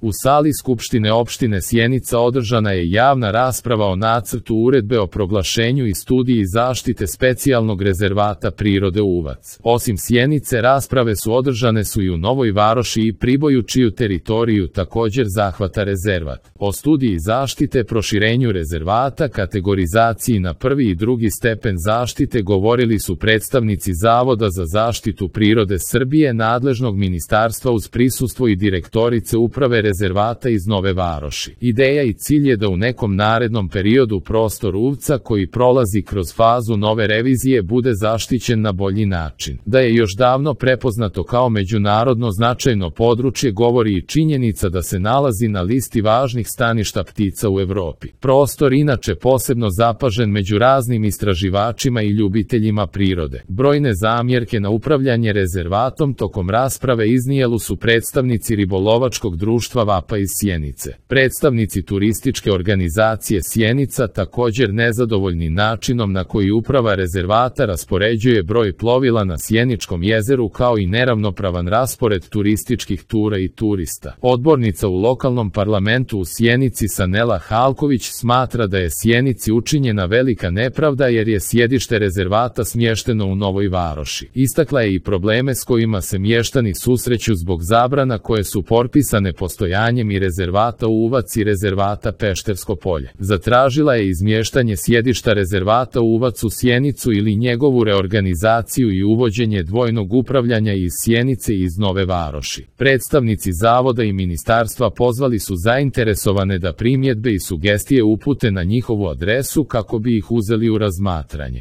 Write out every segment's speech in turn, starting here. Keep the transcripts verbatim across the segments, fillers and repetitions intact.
U sali Skupštine opštine Sjenica održana je javna rasprava o nacrtu uredbe o proglašenju i studiji zaštite specijalnog rezervata prirode Uvac. Osim Sjenice, rasprave su održane su i u Novoj Varoši i Priboju, čiju teritoriju također zahvata rezervat. O studiji zaštite, proširenju rezervata, kategorizaciji na prvi i drugi stepen zaštite govorili su predstavnici Zavoda za zaštitu prirode Srbije, nadležnog ministarstva uz prisustvo i direktorice uprave rezervata iz Nove Varoši. Ideja i cilj je da u nekom narednom periodu prostor Uvca koji prolazi kroz fazu nove revizije bude zaštićen na bolji način. Da je još davno prepoznato kao međunarodno značajno područje govori i činjenica da se nalazi na listi važnih staništa ptica u Evropi. Prostor inače posebno zapažen među raznim istraživačima i ljubiteljima prirode. Brojne zamjerke na upravljanje rezervatom tokom rasprave iznijeli su predstavnici ribolovačkog društva Vapa iz Sjenice. Predstavnici turističke organizacije Sjenica također nezadovoljni načinom na koji uprava rezervata raspoređuje broj plovila na Sjeničkom jezeru kao i neravnopravan raspored turističkih tura i turista. Odbornica u lokalnom parlamentu u Sjenici Sanela Halković smatra da je Sjenici učinjena velika nepravda jer je sjedište rezervata smješteno u Novoj Varoši. Istakla je i probleme s kojima se mještani susreću zbog zabrana koje su propisane postojanjem i rezervata Uvac i rezervata Peštersko polje. Zatražila je izmještanje sjedišta rezervata Uvac u Sjenicu ili njegovu reorganizaciju i uvođenje dvojnog upravljanja iz Sjenice i iz Nove Varoši. Predstavnici Zavoda i ministarstva pozvali su zainteresovane da primjedbe i sugestije upute na njihovu adresu kako bi ih uzeli u razmatranje.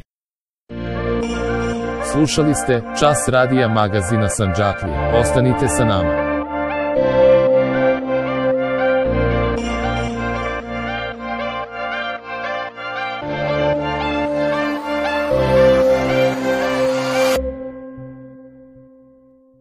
Slušali ste Čas radija magazina Sandžaklija. Ostanite sa nama.